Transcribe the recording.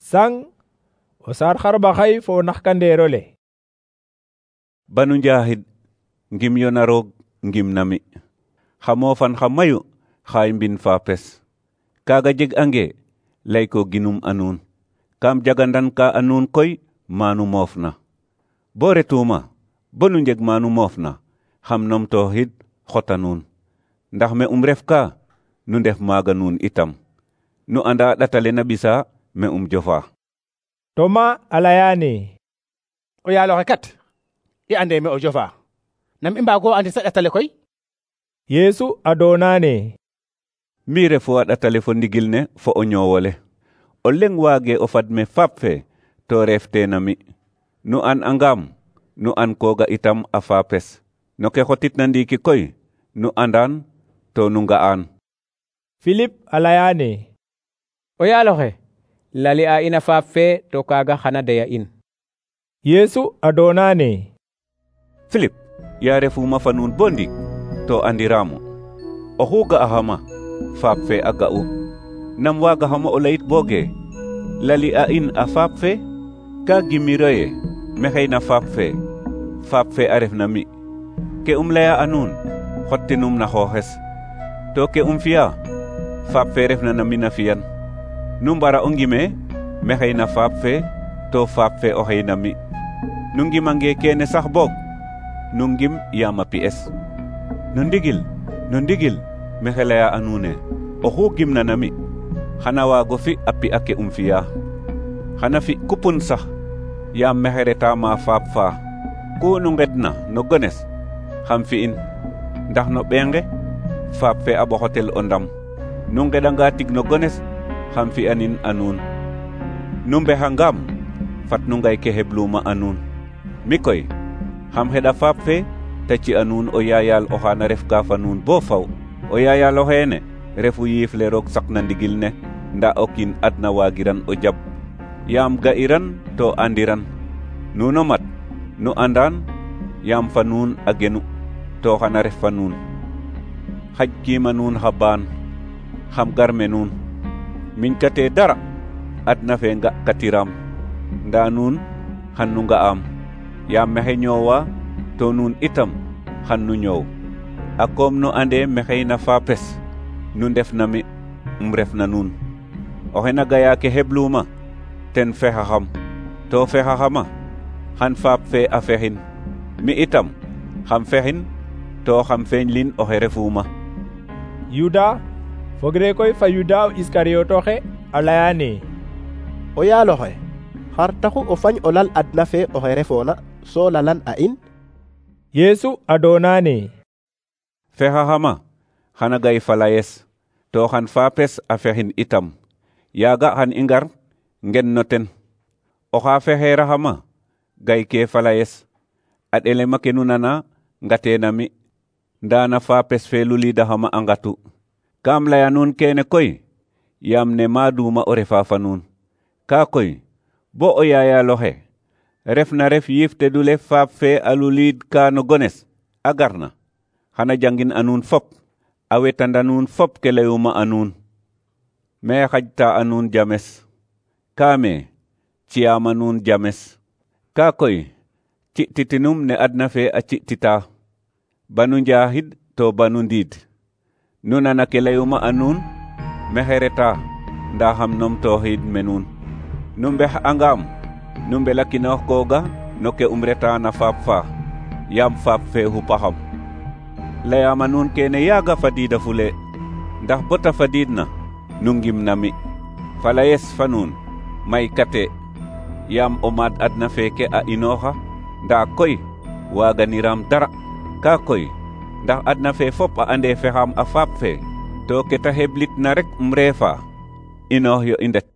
Sang o saar xarɓaxay fo o naxkandeero le. Banu njaxid ngim yo na roog ngim nami. Xa moofan xa mayu xaay mbin faapes. Kaaga jeg ange lay ko ginum a nuun. Kam jagandan ka a nuun koy manu moofna. Bo retuma bonu njeg manu moofna xam numtooxid xota nuun. Ndax me ref ka nu ndef maaga nuun itam. Nu anda ɗatale na ɓisa me jofa. Toma a layaane: o yaaloxe kat i ande me o jofa. Nam i mbaago andi sa ɗatale koy? Yeesu a doonaane: Mi refu a ɗatale fo ndigil ne fo o ñoowole. O leŋ waage o fad me faap fe to reefte na mi. Nu an angam, nu an koga itam a faapes. No ke xotitna ndiiki koy, nu andan to nu nga'an. Philippe a layaane: o yaaloxe lali a in a faap fe to kaaga xana deya in. Yeesu a doonaane: Philippe, ya refuma fa nuun bo ndik to andiramo. Oxu ga'axama faap fe a ga'u. Nam waagaxamo o layit booge lali a in a faap fe? Ka gimiro ye mexey na faap fe a ref na mi. Ke laya a nuun xottinum na xooxes. To ke fiya faap fe refna na mi na fiyan. Nu mbara o ngime mexey na faap fe to faap fe oxey na mi. Nu ngimange kene sax boog nu ngim yaam a pi'es. No ndigil mexe laya a nuune oxu gimna na mi xana waago fi a pi'a ke fiya. Xana fi kupun sax yaam mexe reta ma faap fa. Ku nu ngedna no gones xam fi'in. Ndax no ɓeenge faap fe a ɓoxotel o ndam. Nu ngedanga tig no gones xam fi'anin a nuun. Nu mbexangam fat nu ngay ke hebluma a nuun. Mi koy xam xeɗa faap fe ta ci a nuun o yaayal oxaana ref ka fa nuun bo faw. O yaayal oxeene refu yiif le roog saqna ndigil ne nda o kiin adna waagiran o jab. Yaam ga'iran to andiran. Nuno mat nu andan yaam fa nuun a genu to xana ref fa nuun. Xaj kiima nuun xa baan xam garme nuun. Miñ kate dara adna fe nga katiram. Nda nuun xan nu nga'am. Yaam mexe ñoowa to nuun itam xan nu ñoow. A koom nu ande mexey na faapes nu ndef na mi ref na nuun. Oxe na gaya ke hebluma ten fexaxam. To fexaxama xan faap fe a fexin. Mi itam xam fexin to xam feñlin oxe refuma. Yuda fogre koy fa Yuda Iskariyotoxe a layaane: o yaaloxe xar taxu o fañ o lal adna fe oxe refoona so lalan a in? Yeesu a doonaane: fexaxama xana gay falayes to xan faapes a fexin itam. Yaaga xan i ngar ngen no ten. Oxa fexeeraxama gay ke falayes. A ɗelema ke nu nana ngateena mi. Nda na faapes fe luliidaxama a ngatu. Kam laya nuun kene koy yaam ne maaduma o refa fa nuun. Ka koy bo o yaayaloxe ref na ref yiif tedule faap fe a luliid ka no gones a garna. Xana jangin a nuun fop. A wetanda nuun fop ke layuma a nuun. Me xajta a nuun james. Kaame ci'aama nuun james. Ka koy ci'titinum ne adna fe a ci'tita. Banu njaxid to banu ndiid. Nu nana ke layuma a nuun mexe reta nda xam numtooxid me nuun. Nu mbex angam nu mbelakinoox kooga no ke reta na faap fa yaam faap fe xupaxam. Layaama nuun kene yaaga fadiida fule. Ndax bota fadiidna nu ngim na mi. Falayes fa nuun may kate yaam o maad adna feeke a inooxa nda koy waaganiram dara. Ka koy ndax adna fe fop a ande fexam a faap fe to ke ta heblit na rek refa inoox yo i ndet.